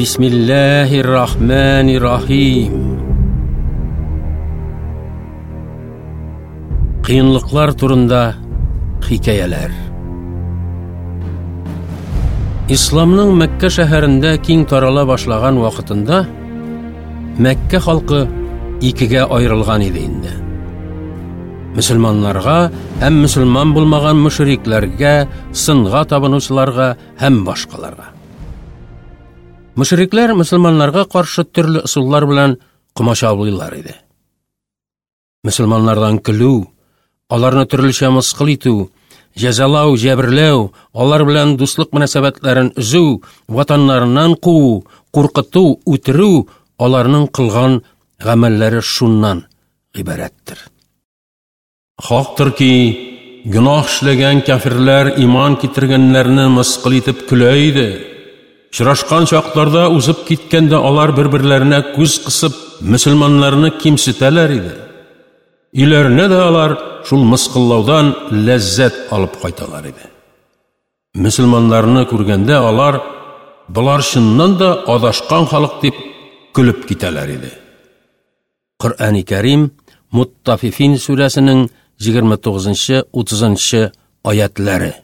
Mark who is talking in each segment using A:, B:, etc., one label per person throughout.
A: Бисмиллаһир-рахманир-рахим. Кыенлыклар турында хикәяләр. Исламның Мәккә шәһәрендә киң тарала башлаган вакытында Мәккә халкы икегә аерылган иде инде. Мөселманнарга һәм мөселман булмаган мөшрикләргә, сынга табынучыларга һәм башкаларга. Мөшрикләр мөселманнарга каршы төрле ысуллар белән комачаулыйлар иде. Мөселманнардан көлү, аларны төрлечә мыскыл итү, җәзалау, җәберләү, алар белән дуслык мөнәсәбәтләрен өзү, ватаннарыннан куу, куркыту, үтерү аларның кылган гамәлләре шуннан гыйбарәттер. Хактыр ки, гөнаһ эшләгән кяферләр иман китергәннәрне мыскыл итеп көлә иде. Очрашкан чакларда узып киткәндә алар бер-берләренә күз кысып, мөселманнарны кимсетәләр иде. Өйләренә дә алар шул мыскыллаудан ләззәт алып кайталар иде. Мөселманнарны күргәндә алар болар чыннан да адашкан халык дип көлеп китәләр иде. Коръәни Кәрим Муттафифин сүрәсенең 29-30 аятләре.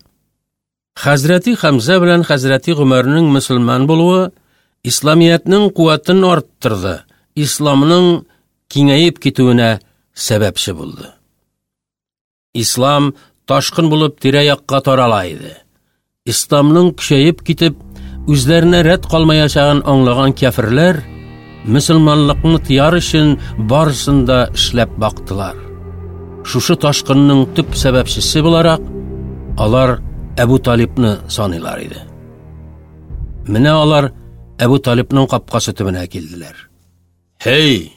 A: Хәзрәти Хәмзә белән Хәзрәти Гомәрнең мөселман булуы исламиятнең куәтен арттырды, исламның киңәеп китүенә сәбәпче булды. Ислам ташкын булып тирә-якка тарала иде. Исламның көчәеп китеп, үзләренә рәт калмаячагын аңлаган кяферләр мөселманлыкны тыяр өчен барысын да эшләп бактылар. Шушы ташкынның төп сәбәпчесе буларак, алар Әбу Талибны саныйлар иде. Менә алар Әбу Талибның капкасы төбенә килделәр. Һей!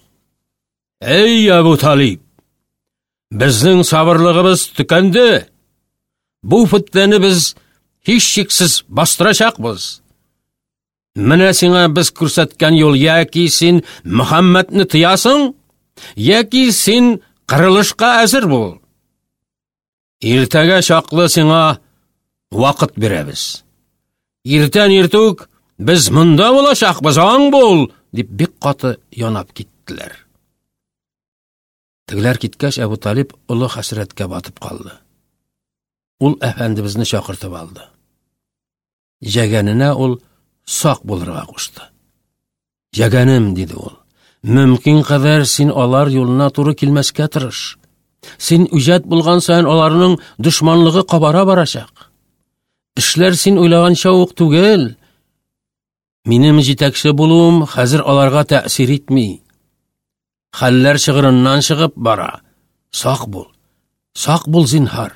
A: Эй, Әбу Талиб! Безнең сабырлыгыбыз төкәнде. Бу фетнәне без һичшиксез бастырачакбыз. Менә сиңа без күрсәткән юл яки син Мөхәммәдне тыясың, яки син кырылышка әзер бул. Иртәгә чаклы сиңа вакыт бирәбез. Иртән иртүк без монда булачакбыз, аң бул, дип бик каты янап киттеләр. Тегеләр киткәч, Әбу Талиб олы хәсрәткә батып калды. Ул әфәндебезне чакыртып алды. Җәгәненә ул сак булырга кушты. Җәгәнем, диде ул, мөмкин кадәр син алар юлына туры килмәскә тырыш. Син үҗәт булган саен аларның дошманлыгы кабара барачак. Эшләр син уйлаганча ук түгел. Минем җитәкче булуым хәзер аларга тәэсир итми. Хәлләр чыгырыннан чыгып бара. Сак бул. Сак бул, зинһар.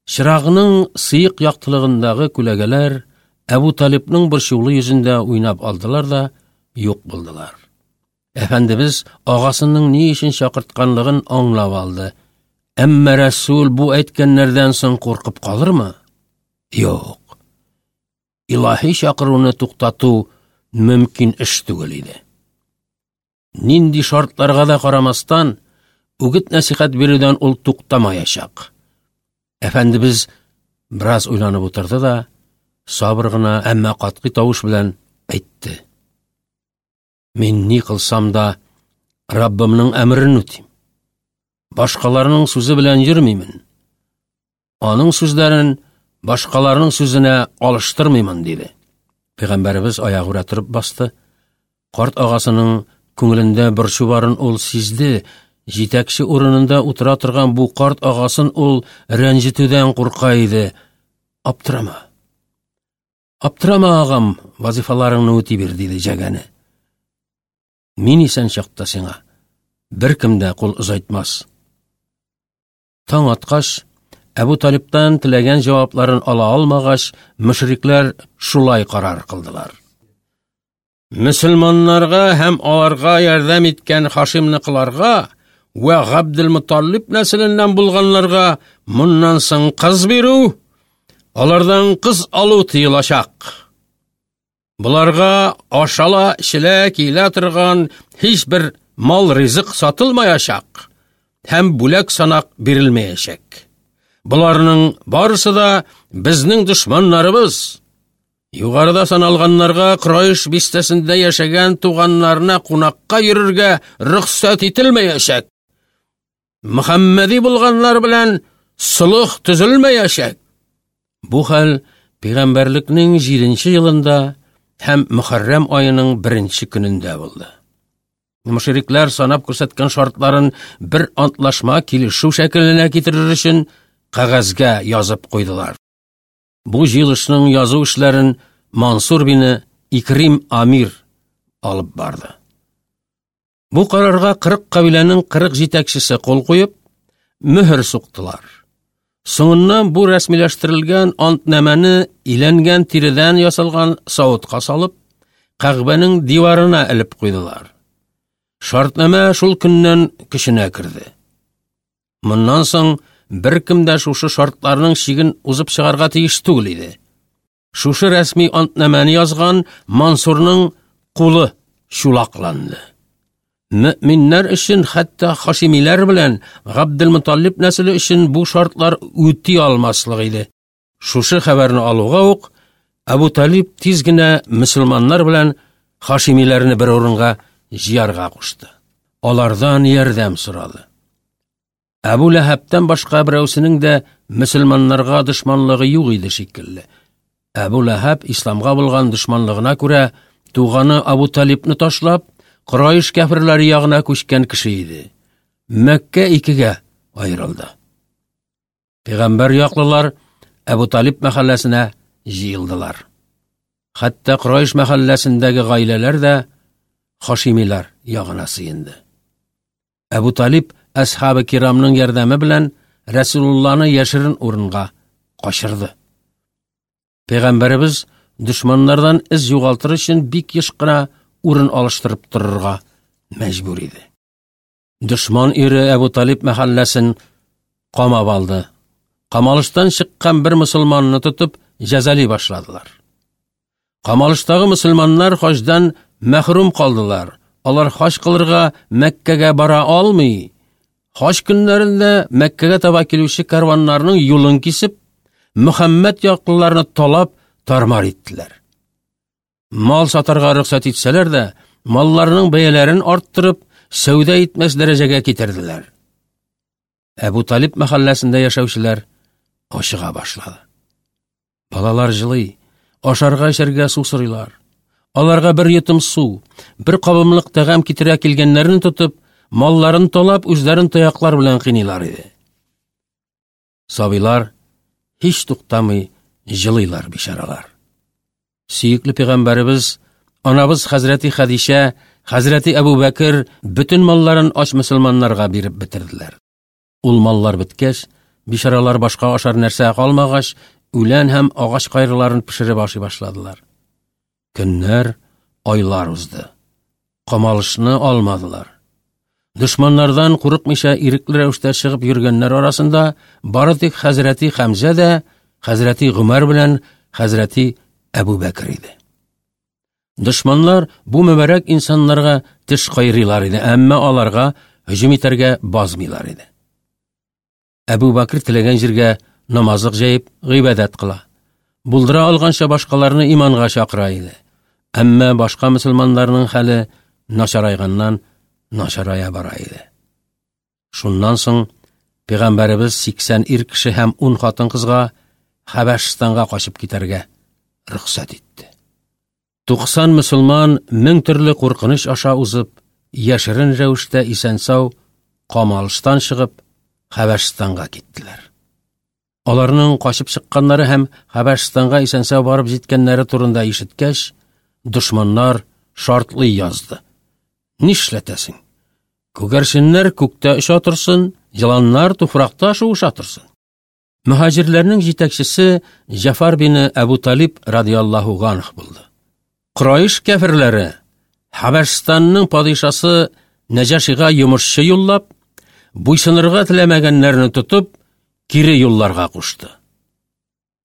A: Чырагының сыек яктылыгындагы күләгәләр Әбу Талибның борчулы йөзендә уйнап алдылар да юк булдылар. Әфәндебез агасының ни өчен чакыртканлыгын аңлап алды. Әмма Рәсүл бу әйткәннәрдән соң куркып калырмы? Юк. Илаһи чакыруны туктату мөмкин эш түгел иде. Нинди шартларга да карамастан, үгет-нәсихәт бирүдән ул туктамаячак. Әфәндебез бераз уйланып утырды да, сабыр гына, әмма катгый тавыш белән әйтте. Мин ни кылсам да, Раббымның әмерен үтим. Башкаларның сүзе белән йөрмимен. Аның сүзләрен башкаларның сүзенә алыштырмыймын, диде. Пәйгамбәребез аягүрә торып басты. Карт агасының күңелендә борчу барын ул сизде. Җитәкче урынында утыра торган бу карт агасын ул рәнҗетүдән курка иде. Аптырама. Аптырама, агам, вазифаларыңны үти бир, диде Җәгәне. Мин исән чакта сиңа беркем дә кул озайтмас. Таң аткач, Әбу Талибтан теләгән җавапларын ала алмагач, мөшрикләр шулай карар кылдылар. Мөселманнарга һәм аларга ярдәм иткән Хашимныкыларга вә Габделмуталлиб нәселеннән булганнарга моннан соң кыз бирү, алардан кыз алу тыелачак. Боларга ашала, эчелә, киелә торган һичбер мал ризык сатылмаячак һәм бүләк санак бирелмәячәк. Боларның барысы да безнең дошманнарыбыз. Югарыда саналганнарга Крайш бистәсендә яшәгән туганнарына кунакка йөрергә рөхсәт ителмәячәк. Мөхәммәди булганнар белән солых төзелмәячәк. Бу хәл пәйгамбәрлекнең 7 елында һәм Мөхәррәм аеның беренче көнендә булды. Мөшрикләр санап күрсәткән шартларын бер антлашма килешү шәкеленә китерер өчен кәгазьгә язып куйдылар. Бу җыелышның язу эшләрен Мансур бине Икрим Амир алып барды. Бу карарга 40 кабиләнең 40 җитәкчесе кул куеп, мөһер суктылар. Соңыннан бу рәсмиләштерелгән антнамәне иләнгән тиредән ясалган савытка салып, Кәгъбәнең диварына элеп куйдылар. Шартнамә шул көннән көченә керде. Моннан соң беркем дә шушы шартларның чиген узып чыгарга тиеш түгел иде. Шушы рәсми антнамәне язган Мансурның кулы чулакланды. Мөминнәр өчен, хәтта хашимиләр белән Габделмуталлиб нәселе өчен бу шартлар үти алмаслык иде. Шушы хәбәрне алуга ук Әбу Талиб тиз генә мөселманнар белән хашимиләрне бер урынга җыярга кушты. Алардан ярдәм сорады. Әбу Ләһәбтән башка берәүсенең дә мөселманнарга дошманлыгы юк иде шикелле. Әбу Ләһәб исламга булган дошманлыгына күрә туганы Абу Талибны ташлап, Курайш кәферләре ягына күчкән кеше иде. Мәккә икегә аерылды. Пәйгамбәр яклылар Әбу Талиб мәхәлләсенә җыелдылар. Хәтта Курайш мәхәлләсендәге гаиләләр дә Хашимилар ягына сыенды. Әбу Талиб әсхабы кирамның ярдәме белән Рәсулулланы яшерен урынга качырды. Пәйгамбәребез дошманнардан эз югалтыр өчен бик еш кына урын алыштырып торырга мәҗбүр иде. Дошман ире Әбу Талиб мәхәлләсен камап алды. Камалыштан чыккан бер мөселманны тотып, җәзали башладылар. Камалыштагы мөселманнар хаҗдан мәхрүм калдылар. Алар хаҗ кылырга Мәккәгә бара алмый. Хаҗ көннәрендә Мәккәгә таба килүче карваннарның юлын кисеп, Мөхәммәд яклыларны талап, тармар иттеләр. Мал сатарга рөхсәт итсәләр дә, малларның бәяләрен арттырып, сәүдә итмәс дәрәҗәгә китерделәр. Әбу Талиб мәхәлләсендә яшәүчеләр ачыга башлады. Балалар җылый, ашарга эчәргә су сорыйлар. Аларга бер йотым су, бер кабымлык тәгам китерә килгәннәрен тотып, малларын талап, үзләрен таяклар белән кыйныйлар иде. Сабыйлар һич туктамый җылыйлар бичаралар. Сөекле пәйгамбәребез, анабыз хәзрәти Хәдичә, хәзрәти Әбу Бәкер бөтен малларын ач мөселманнарга биреп бетерделәр. Ул маллар беткәч, бичаралар башка ашар нәрсә калмагач, үлән һәм агач кайрыларын пешереп ашый башладылар. Көннәр, айлар узды. Камалышны алмадылар. Дошманнардан курыкмыйча ирекле рәвештә чыгып йөргәннәр арасында бары тик хәзрәти Хәмзә дә, хәзрәти Гомәр белән хәзрәти Әбу Бәкер иде. Дошманнар бу мөбарәк инсаннарга теш кайрыйлар иде, әмма аларга һөҗүм итәргә базмыйлар иде. Әбу Бакр теләгән җиргә намазлык җәеп гыйбадәт кыла. Булдыра алганча башкаларны иманга чакыра иде. Әмма башка мөселманнарның хәле начарайганнан начарая бара иде. Шуннан соң пәйгамбәребез 80 ир кеше һәм 10 хатын-кызга Хәбәшстанга качып китәргә рөхсәт итте. 90 мөселман мең төрле куркыныч аша узып, яшерен рәвештә исән-сау камалыштан чыгып, Хәбәшстанга киттеләр. Аларның качып чыкканнары һәм Хәбәшстанга исән-сау барып җиткәннәре турында ишеткәч, дошманнар шартлый язды. Нишләтәсең? Күгәрченнәр күктә оча торсын, еланнар туфракта шуыша торсын. Мөһаҗирләрнең җитәкчесе Җафар бине Әбу Талиб радиаллаһу ганх булды. Курайш кәферләре Хәбәшстанның падишасы Нәҗашига йомышчы юллап, буйсынырга теләмәгәннәрне тотып, кире юлларга кушты.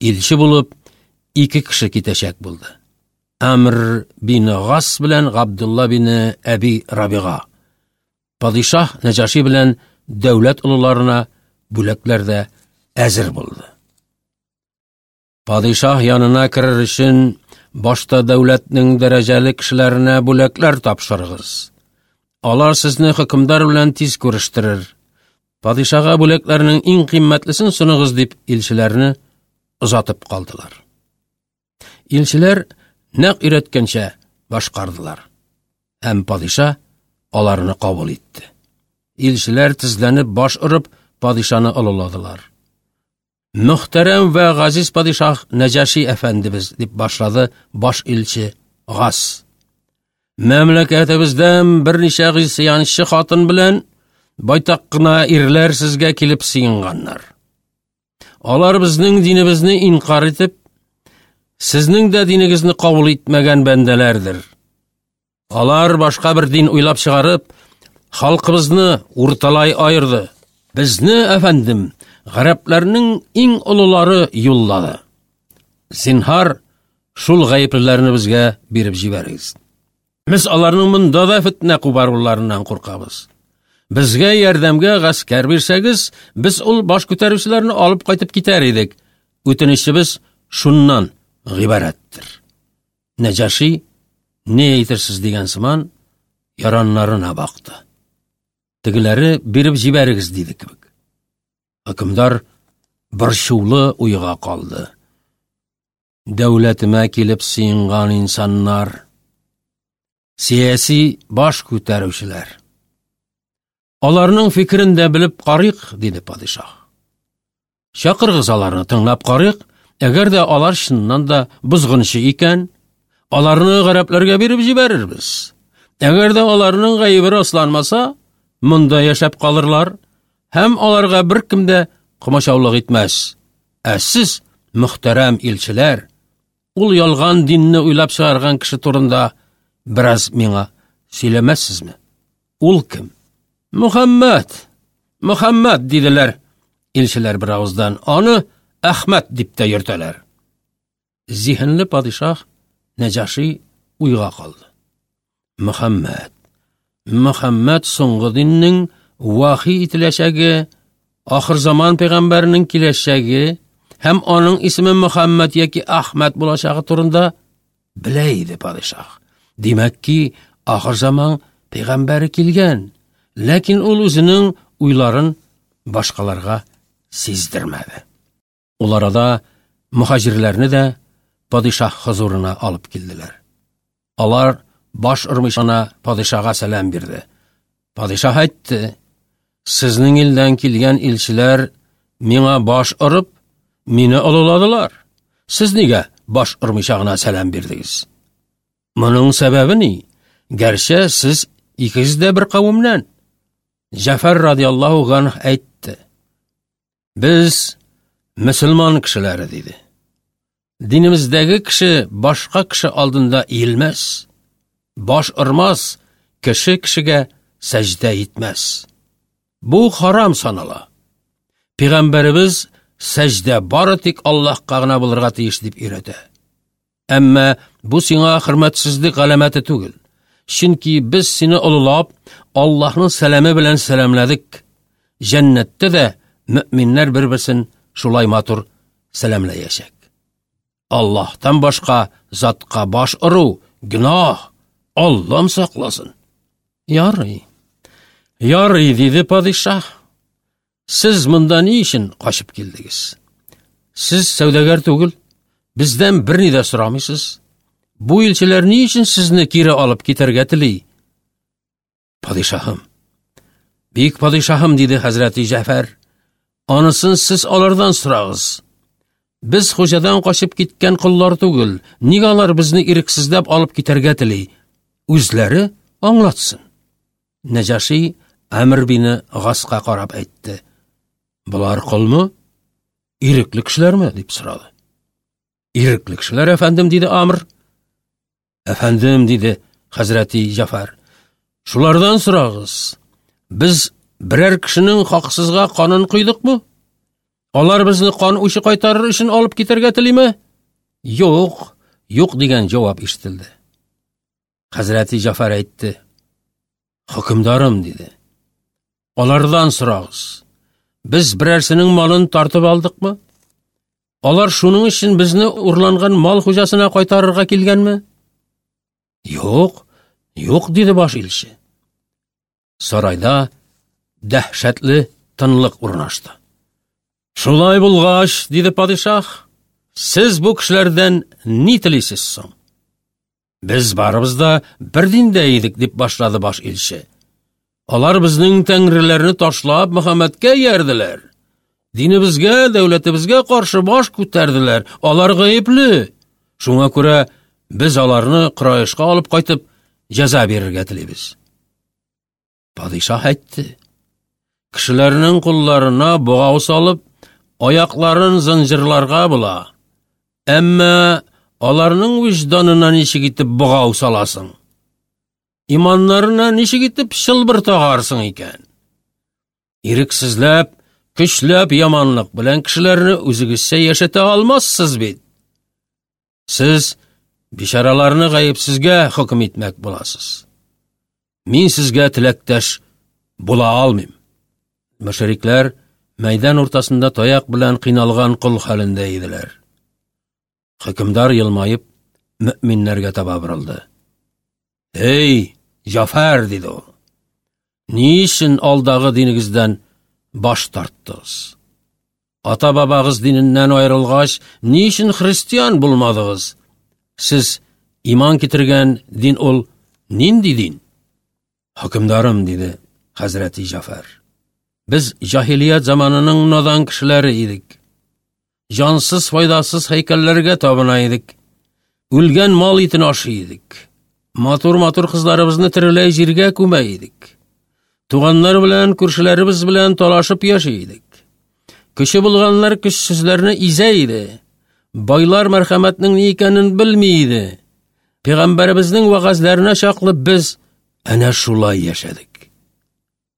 A: Илче булып ике кеше китәчәк булды. Амр бин Гас белән Габдулла бин Әби Рабига. Падишаһ Нәҗаши белән дәүләт олыларына бүләкләр дә әзер булды. Падишаһ янына керер өчен Башта дәүләтнең дәрәҗәле кешеләренә бүләкләр тапшырыгыз. Алар сезне хөкемдар белән тиз күрештерер. Падишага бүләкләрнең иң кыйммәтлесен соныгыз, дип илчеләрне озатып калдылар. Илчеләр нәкъ өйрәткәнчә башкардылар. Һәм падиша аларны кабул итте. Илчеләр тезләнеп баш орып падишаны олыладылар. Мөхтәрәм вә газиз падишаһ Нәҗаши әфәндебез, дип башлады баш илче Гас. Мәмләкәтебездән берничә гыйсыянчы хатын белән байтак кына ирләр сезгә килеп сыенганнар. Алар безнең динебезне инкар итеп, сезнең дә динегезне кабул итмәгән бәндәләрдер. Алар башка бер дин уйлап чыгарып, халкыбызны урталай аерды. Безне, әфәндем, гарәпләрнең иң олылары юллады. Зинһар, шул гаеплеләрне безгә биреп җибәрегез. Без аларның монда да фетнә кубаруларыннан куркабыз. Безгә ярдәмгә гаскәр бирсәгез, без ул баш күтәрүчеләрне алып кайтып китәр идек. Үтенечебез шуннан гыйбарәттер. Нәҗаши, не әйтерсез дигән сыман, яраннарына бакты. Тегеләре биреп җибәрегез диде кебек. Хөкемдар борчулы уйга калды. Дәүләтемә килеп сыенган инсаннар, сияси баш күтәрүчеләр. Аларның фикерен дә белеп карыйк, диде падишаһ. Чакырыгыз аларны, тыңлап карыйк. Әгәр дә алар чыннан да бозгынчы икән, аларны гарәпләргә биреп җибәрербез. Әгәр дә аларның гаебе расланмаса, монда яшәп калырлар һәм аларга беркем дә комачаулык итмәс. Ә сез, мөхтәрәм илчеләр, ул ялган динне уйлап чыгарган кеше турында бераз миңа сөйләмәссезме? Ул кем? Мөхәммәд! Мөхәммәд, диделәр илчеләр бер авыздан. Аны Әхмәт дип тә йөртәләр. Зиһенле падишаһ Нәҗаши уйга калды. Мөхәммәд. Мөхәммәд соңгы диннең вахи ителәчәге, ахыр заман пәйгамбәренең киләчәге һәм аның исеме Мөхәммәд яки Әхмәд булачагы турында белә иде падишаһ. Димәк ки, ахыр заман пәйгамбәре килгән, ләкин ул үзенең уйларын башкаларга сиздермәде. Ул арада мөхаҗирләрне дә падишаһ хозурына алып килделәр. Алар баш ормыйча гына падишага сәлам бирде. Падишаһ әйтте: "Сезнең илдән килгән илчеләр миңа баш орып, мине олыладылар. Сез нигә баш ормыйча гына сәлам бирдегез? Моның сәбәбе ни? Гәрчә сез икегез дә бер кавемнән." Җәфәр радиаллаһу ганһ әйтте: Без мөселман кешеләре, диде. Динебездәге кеше башка кеше алдында иелмәс, баш ормас, кеше кешегә сәҗдә итмәс. Бу харам санала. Пәйгамбәребез сәҗдә бары тик Аллаһка гына булырга тиеш дип өйрәтә. Әмма бу сиңа хөрмәтсезлек галәмәте түгел. Чөнки без сине олылап, Аллаһның сәламе белән сәламләдек. Җәннәттә дә мөэминнәр бер-берсен шулай матур сәламләячәк. Аллаһтан башка затка баш ору гөнаһ. Аллам сакласын. Ярый. Ярый, диде падишаһ. Сез монда ни өчен качып килдегез? Сез сәүдәгәр түгел, бездән берни дә сорамыйсыз. Бу илчеләр ни өчен сезне кире алып китәргә тели? Падишаһым, бик падишаһым, диде хәзрәти Җәфәр. Анысын сез алардан сорагыз. Без хуҗадан качып киткән коллар түгел. Нигә алар безне ирексезләп алып китәргә тели? Үзләре аңлатсын. Нәҗаши Әмр бине Гаска карап әйтте. Болар колмы? Ирекле кешеләрме? дип сорады. Ирекле кешеләр, әфәндем, диде Амр. Әфәндем, диде хәзрәти Җафар. Шулардан сорагыз. Без берәр кешенең хаксызга канын койдыкмы? Алар безне кан үче кайтарыр өчен алып китәргә телиме? Юк, юк дигән җавап ишетелде. Хәзрәти Җафар әйтте. Хөкемдарым, диде. Алардан сорагыз. Без берәрсенең малын тартып алдыкмы? Алар шуның өчен безне урланган мал хуҗасына кайтарырга килгәнме? Юк, юк, диде баш илче. Сарайда дәһшәтле тынлык урнашты. Шулай булгач, диде падишаһ, сез бу кешеләрдән ни телисез соң? Без барыбыз да бер диндә идек, дип башлады баш илче. Алар безнең тәңреләрне ташлап Мөхәммәдкә иярделәр. Динебезгә, дәүләтебезгә каршы баш күтәрделәр. Алар гаепле. Шуңа күрә без аларны Кораешка алып кайтып җәза бирергә телибез. Падишаһ әйтте. Кешеләрнең кулларына богау салып, аякларын зынҗырларга була. Әмма аларның вөҗданына ничек итеп богау саласың? Иманнарына ничек итеп чылбыр тагарсың икән? Ирексезләп, көчләп яманлык белән кешеләрне үзегезчә яшәтә алмассыз бит. Сез бичараларны гаепсезгә хөкем итмәк буласыз. Мин сезгә теләктәш була алмыйм. Мөшрикләр мәйдан уртасында таяк белән кыйналган кол хәлендә иделәр. Хөкемдар елмаеп, мөэминнәргә таба борылды. Эй, Җафәр, диде ул. Ни өчен алдагы динегездән баш тарттыгыз? Ата-бабагыз диненнән аерылгач, ни өчен христиан булмадыгыз? Сез иман китергән дин ул нинди дин? Хөкемдарым, диде хәзрәти Җафәр. Без җаһилият заманының надан кешеләре идек. Җансыз, файдасыз һәйкәлләргә табына идек. Үлгән мал итен ашый идек. Матур-матур кызларыбызны тереләй җиргә күмә идек. Туганнар белән, күршеләребез белән талашып яши идек. Көче булганнар көчсезләрне изә иде. Байлар мәрхәмәтнең ни икәнен белми иде. Пәйгамбәребезнең вәгазьләренә чаклы без әнә шулай яшәдек.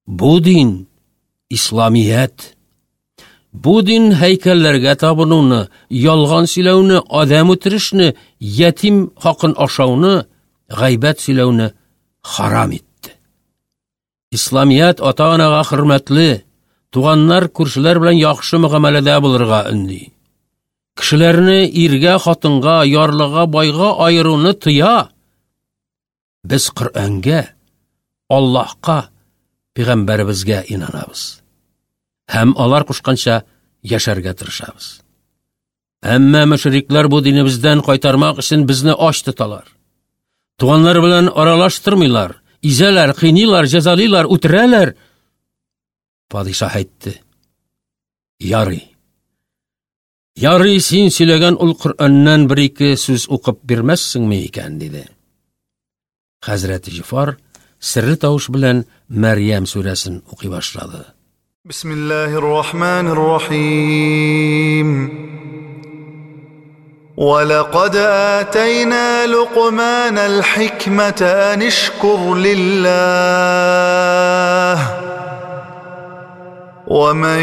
A: Бу дин исламият. Бу дин һәйкәлләргә табынуны, ялган сөйләүне, адәм үтерешне, ятим хакын ашауны, гайбәт сөйләүне харам итте. Исламият ата-анага хөрмәтле, туганнар, күршеләр белән яхшы мөгамәләдә булырга өнди. Кешеләрне иргә, хатынга, ярлыга, байга аеруны тыя. Без Коръәнгә, Аллаһка, пәйгамбәребезгә инанабыз. Һәм алар кушканча яшәргә тырышабыз. Әмма мөшрикләр бу динебездән кайтармак өчен безне ач тоталар. Туганнар белән аралаштырмыйлар, изәләр, кыйныйлар, җәзалыйлар, үтерәләр. Падишаһ әйтте: Ярый. Ярый, син сөйләгән ул Коръәннән бер-ике сүз укып бирмәссеңме икән, диде. Хәзрәт Җифар серле тавыш белән Мәрьям сүрәсен укый башлады.
B: Бисмиллаһир-рахманир-рахим. ولقد آتينا لقمان الحكمة أن اشكر لله ومن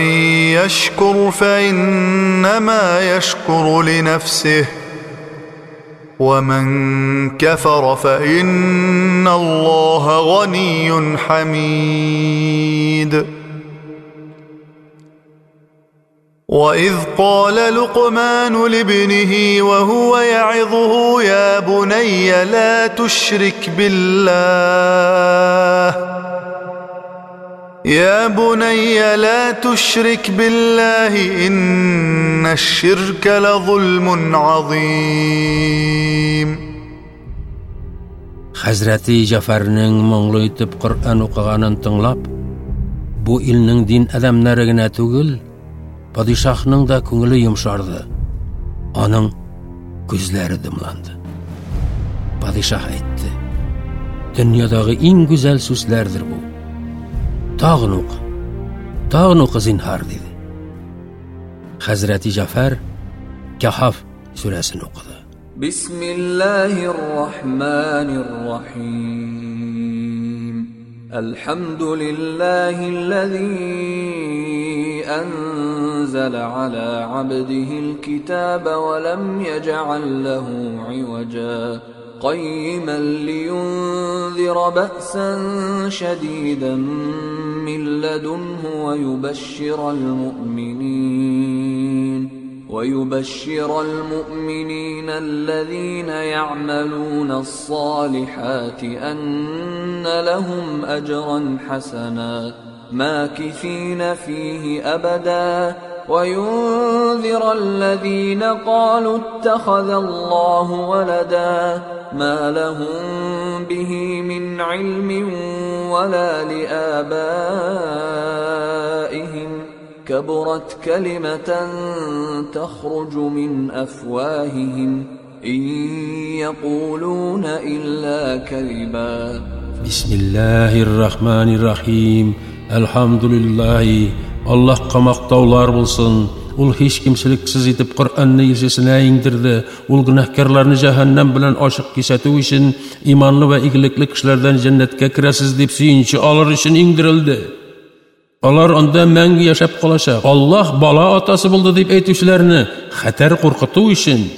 B: يشكر فإنما يشكر لنفسه ومن كفر فإن الله غني حميد وإذ قال لقمان لابنه وهو يعظه يا بني لا تشرك بالله يا بني لا تشرك بالله إن الشرك لظلم عظيم
A: Хәзрәти Җәфәрнең моңлы итеп Коръән укыганын тыңлап, бу илнең дин адәмнәре генә түгел, падишаһның да күңеле йомшарды. Аның күзләре дымланды. Падишаһ әйтте: "Дөньядагы иң гүзәл сүзләрдер бу. Тагын укы. Тагын укы, зинһар", диде. Хәзрәти Җәфәр Кәһаф сүрәсен укыды.
C: Бисмиллаһир-рахманир-рахим. Әлхәмдүлиллаһилләзи әнзәлә аля абдиһил китаба ва лам яҗ'ал ләһу иваҗа. قيما لينذر بأسا شديدا من لدنه ويبشر المؤمنين. ويبشر المؤمنين الذين يعملون الصالحات أن لهم أجرا حسنا ماكثين فيه أبدا وينذر الذين قالوا اتخذ الله ولدا ما لهم به من علم ولا لآبائهم كبرت كلمة تخرج من أفواههم إن يقولون إلا كذبا.
A: بسم الله الرحمن الرحيم. الحمد لله. Аллаһка мактаулар булсын. Ул һич кимчелексез итеп Коръәнне илчесенә иңдерде. Ул гөнаһкарларны җәһәннәм белән ачык кисәтү өчен, иманлы вә игелекле кешеләрдән җәннәткә керәсез дип сөенче алыр өчен иңдерелде. Алар анда мәңге яшәп калачак. Аллаһ бала атасы булды дип әйтүчеләрне хәтәр куркыту өчен,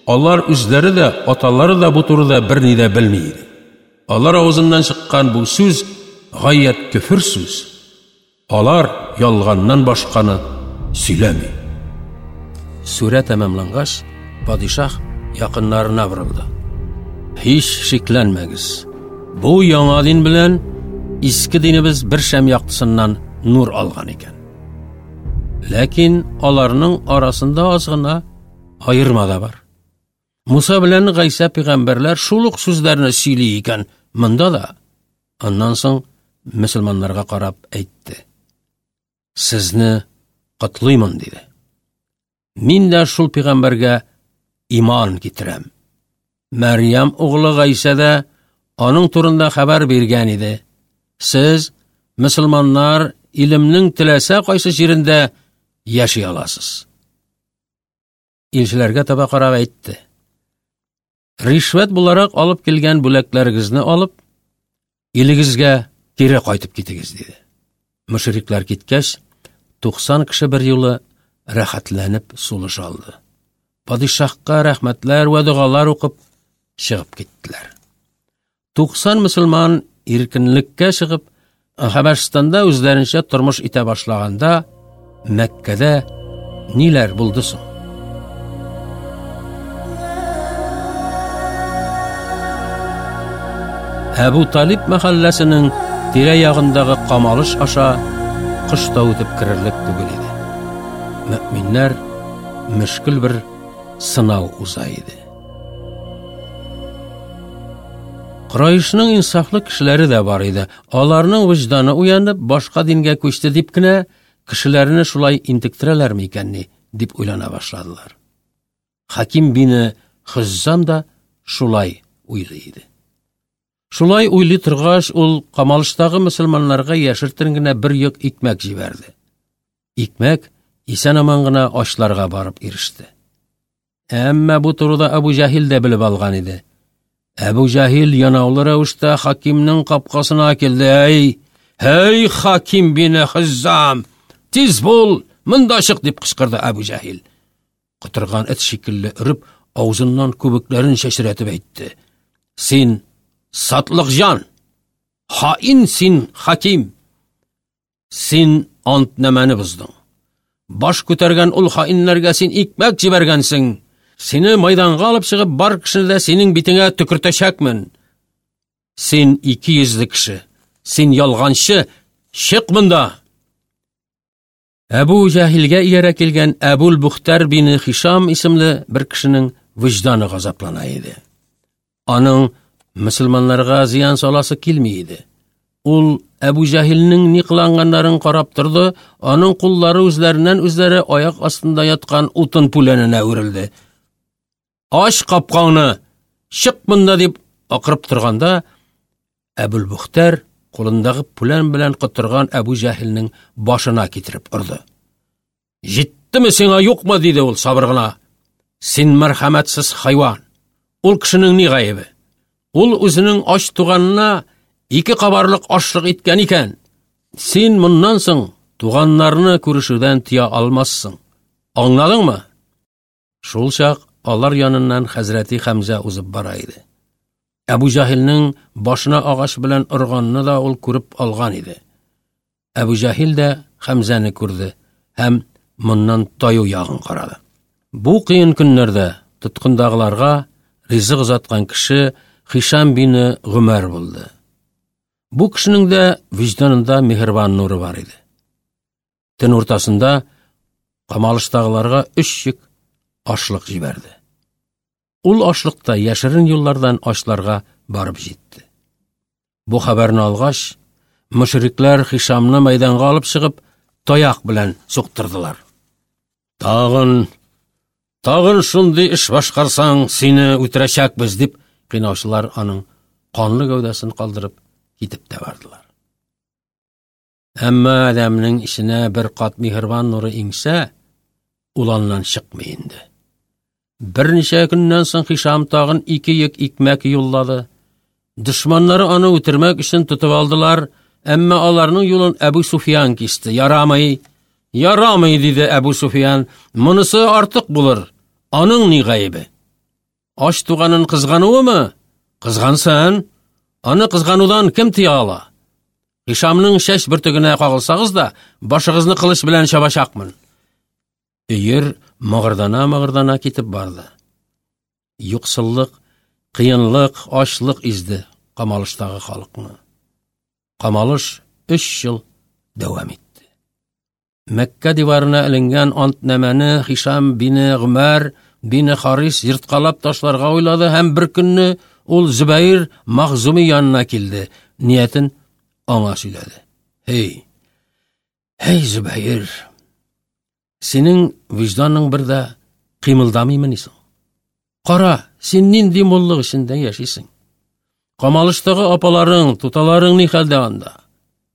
A: алар үзләре дә, аталары да бу турыда берни дә белми иде. Алар авызыннан чыккан бу сүз гаять көфер сүз. Алар ялганнан башканы сөйләми. Сүрә тәмамлангач, падишаһ якыннарына борылды. Һич шикләнмәгез. Бу яңа дин белән иске динебез бер шәм яктысыннан нур алган икән. Ләкин аларның арасында аз гына аерма да бар. Муса белән Гайсә пәйгамбәрләр шул ук сүзләрне сөйли икән монда да. Аннан соң мөселманнарга карап әйтте: "Сезне котлыймын", диде. Мин дә шул пәйгамбәргә иман китерәм. Мәрьям углы Гайсә дә аның турында хәбәр биргән иде. Сез, мөселманнар, илемнең теләсә кайсы җирендә яши аласыз. Илчеләргә таба карап әйтте: Ришвәт буларак алып килгән бүләкләрегезне алып, илегезгә кире кайтып китегез, диде. Мөшрикләр киткәч, 90 кеше бер юлы рәхәтләнеп сулыш алды. Падишаһка рәхмәтләр вә догалар укып чыгып киттеләр. 90 мөселман иркенлеккә чыгып, Хәбәшстанда үзләренчә тормыш итә башлаганда, Мәккәдә ниләр булды соң? Әбу Талиб мәхәлләсенең тирә-ягындагы камалыш аша кош та үтеп керерлек түгел иде. Мөэминнәр мөшкел бер сынау уза иде. Курайшның инсафлы кешеләре дә бар иде. Аларның вөҗданы уянып, башка дингә күчте дип кенә кешеләрне шулай интектерәләрме икәнни, дип уйлана башладылар. Хаким бине Хыззам да шулай уйлый иде. Шулай уйлый торгач, ул камалыштагы мөселманнарга яшертен генә бер йөк икмәк җибәрде. Икмәк исән-аман гына ачларга барып иреште. Әмма бу турыда Әбу Җаһил дә белеп алган иде. Әбу Җаһил янаулы рәвештә хакимнең капкасына килде. Әй, һәй, хаким бине Хыззам, тиз бул, монда чык, дип кычкырды Әбу Җаһил. Котырган эт шикелле өреп, авызыннан күбекләрен чәчрәтеп әйтте. Син сатлык җан, хаин син, хаким. Син антнамәне боздың. Баш күтәргән ул хаиннәргә син икмәк җибәргәнсең. Сине майданга алып чыгып, бар кешене дә синең битеңә төкертәчәкмен. Син ике йөзле кеше. Син ялганчы. Чык монда! Әбу Җәһилгә иярә килгән Әбул Бухтар бине Хишам исемле бер кешенең вөҗданы газаплана иде. Аның мөселманнарга зыян саласы килми иде. Ул Әбу Җәһилнең ни кыланганнарын карап торды, аның куллары үзләреннән үзләре аяк астында яткан утын пүләненә үрелде. Ач капкаңны, чык монда дип акырып торганда, Әбүлбөхтәр кулындагы пүлән белән котырган Әбу Җәһилнең башына китереп орды. Җиттеме сиңа юкмы? диде ул сабыр гына. Син мәрхәмәтсез хайван. Ул кешенең ни гаебе? Ул үзенең ач туганына ике кабарлык ашлык иткән икән. Син моннан соң туганнарны күрешүдән тыя алмассың. Аңладыңмы? Шул чак алар яныннан хәзрәти Хәмзә узып бара иде. Әбу Җаһилнең башына агач белән органны да ул күреп алган иде. Әбу Җаһил дә Хәмзәне күрде һәм моннан таю ягын карады. Бу кыен көннәрдә тоткындагыларга ризык озаткан кеше Хишам бине Гомәр булды. Бу кешенең дә вөҗданында миһербан нуры бар иде. Төн уртасында камалыштагыларга өч йөк ашлык җибәрде. Ул ашлык та яшерен юллардан ачларга барып җитте. Бу хәбәрне алгач, мөшрикләр Хишамны мәйданга алып чыгып, таяк белән суктырдылар. Тагын, тагын шундый эш башкарсаң, сине үтерәчәкбез, дип кыйнаучылар аның канлы гәүдәсен калдырып китеп тә бардылар. Әмма адәмнең эченә бер кат миһербан нуры иңсә, ул аннан чыкмый инде. Берничә көннән соң Хишам тагын ике йөк икмәк юллады. Дошманнары аны үтермәк өчен тотып алдылар, әмма аларның юлын Әбу Суфиян кисте. Ярамый, ярамый, диде Әбу Суфиян, монысы артык булыр. Аның ни гаебе? Ач туганын кызгануымы? Кызгансын. Аны кызганудан кем тыя ала? Хишамның чәч бөртегенә кагылсагыз да, башыгызны кылыч белән чабачакмын. Өер мыгырдана-мыгырдана китеп барды. Юксыллык, кыенлык, ачлык изде камалыштагы халыкны. Камалыш өч ел дәвам итте. Мәккә диварына эленгән антнамәне Хишам бине Гомәр бине Харис ерткалап ташларга уйлады һәм бер көнне ул Зөбәер Махзуми янына килде, ниятен аңа сөйләде. Һей, һей, Зөбәер, синең вөҗданың бер дә кыймылдамыймыни соң? Кара, син нинди муллык эчендә яшисең? Камалыштагы апаларың, туталарың ни хәлдә анда?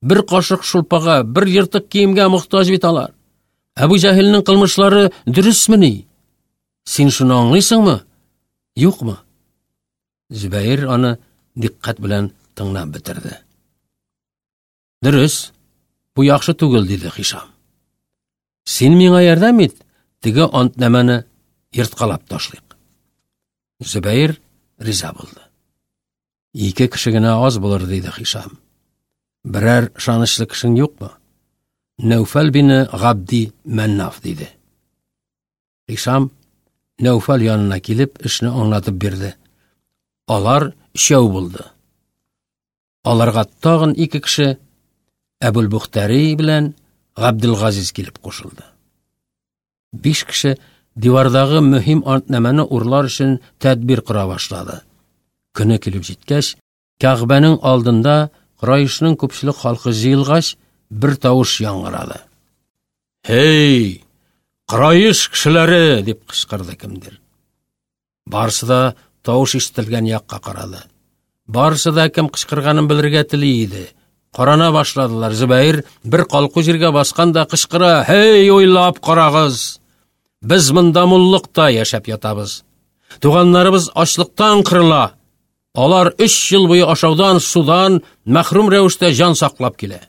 A: Бер кашык шулпага, бер ертык киемгә мохтаҗ бит алар. Әбу Җәһилнең кылмышлары дөресмени? Син шуны аңлыйсыңмы? Юкмы? Зөбәер аны дикъкать белән тыңлап бетерде. Дөрес, бу яхшы түгел, диде Хишам. Син миңа ярдәм ит, теге антнамәне ерткалап ташлыйк. Зөбәер риза булды. Ике кеше генә аз булыр, диде Хишам. Берәр ышанычлы кешең юкмы? Нәүфәл бине Габди Мәннаф, диде. Хишам Нәүфәл янына килеп, эшне аңлатып бирде. Алар өчәү булды. Аларга тагын ике кеше Әбүлбухтари белән Габделгазиз килеп кушылды. Биш кеше дивардагы мөһим антнамәне урлар өчен тәдбир кора башлады. Көне килеп җиткәч, Кәгъбәнең алдында Курайшның күпчелек халкы җыелгач, бер тавыш яңгырады. «Һей, Курайш кешеләре!» дип кычкырды кемдер. Барысы да тавыш ишетелгән якка карады. Барысы да кем кычкырганын белергә тели иде. Карана башладылар. Зөбәер бер калку җиргә баскан да кычкыра: "Һей, уйлап карагыз! Без монда муллыкта яшәп ятабыз. Туганнарыбыз ачлыктан кырыла. Алар өч ел буе ашаудан, судан мәхрүм рәвештә җан саклап килә.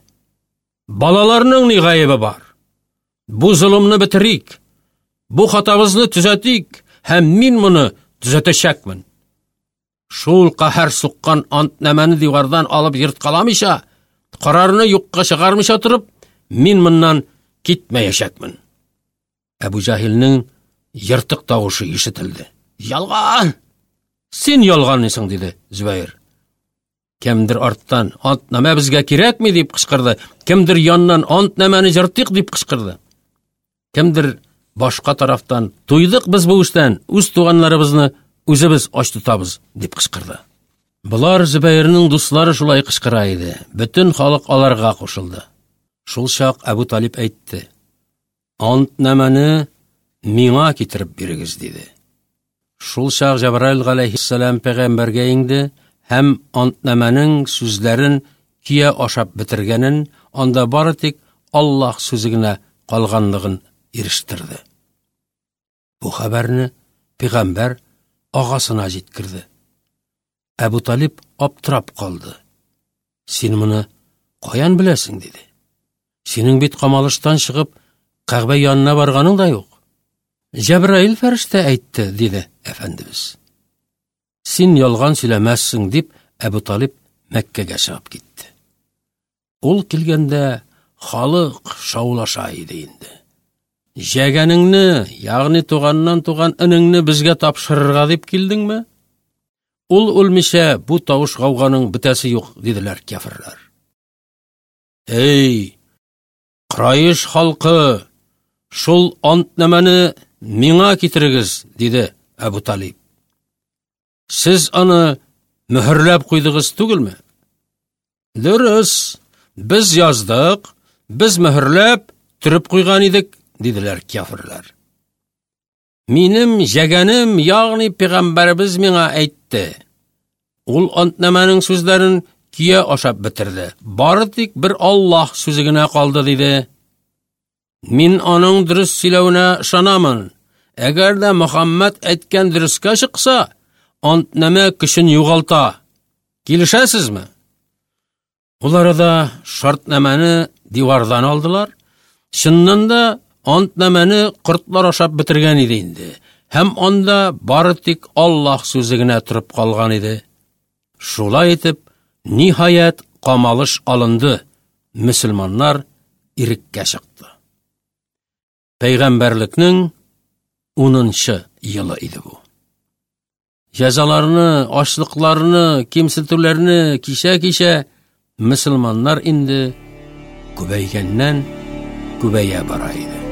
A: Балаларның ни гаебе бар? Бу золымны бетерик. Бу хатабызны төзәтик һәм мин моны төзәтәчәкмен. Шул каһәр суккан антнамәне дивардан алып ерткаламыйча, карарны юкка чыгармыйча торып, мин моннан китмәячәкмен. Әбу Җаһилнең ертык тавышы ишетелде. Ялган! Син ялганлыйсың, диде Зөбәер. Кемдер арттан антнамә безгә кирәкми дип кычкырды. Кемдер яннан антнамәне җыртыйк дип кычкырды. Кемдер башка тарафтан туйдык без бу эштән, үз туганнарыбызны үзебез ач тотабыз дип кычкырды. Болар Зөбәернең дуслары шулай кычкыра иде. Бөтен халык аларга кушылды. Шул чак Әбу Талиб әйтте: "Антнамәне миңа китереп бирегез", диде. Шул чак Җәбраил галәйһиссәлам пәйгамбәргә иңде һәм антнамәнең сүзләрен көя ашап бетергәнен, анда бары тик Аллаһ сүзе генә калганлыгын ирештерде. Бу хәбәрне пәйгамбәр агасына җиткерде. Әбу Талиб аптырап калды. Син моны каян беләсең, диде. Синең бит камалыштан чыгып, Кәгъбә янына барганың да юк. Җәбраил фәрештә әйтте, диде әфәндебез. Син ялган сөйләмәссең, дип Әбу Талиб Мәккәгә чыгып китте. Ул килгәндә халык шаулаша иде инде. Җәгәнеңне, ягъни туганнан туган энеңне безгә тапшырырга дип килдеңме? Ул үлмичә бу тавыш гауганың бетәсе юк, диделәр кяферләр. Эй, Кыраиш халкы, шул антнамәне миңа китерегез, диде Әбу Талиб. Сез аны мөһерләп куйдыгыз түгелме? Дөрес, без яздык, без мөһерләп, төреп куйган идек, диделәр кяферләр. Минем җәгәнем, ягъни пәйгамбәребез миңа әйтте. Ул антнамәнең сүзләрен көя ашап бетерде. Бары тик бер Аллаһ сүзе генә калды, диде. Мин аның дөрес сөйләвенә ышанамын. Әгәр дә Мөхәммәд әйткән дөрескә чыкса, антнамә көчен югалта. Килешәсезме? Ул арада шартнамәне дивардан алдылар. Чыннан да антнамәне кортлар ашап бетергән иде инде. Һәм анда бары тик Аллаһ сүзе генә торып калган иде. Шулай итеп, ниһаять, камалыш алынды. Мөселманнар иреккә чыкты. Пәйгамбәрлекнең 10 елы иде бу. Җәзаларны, ачлыкларны, кимсетүләрне кичә-кичә мөселманнар инде күбәйгәннән күбәя бара иде.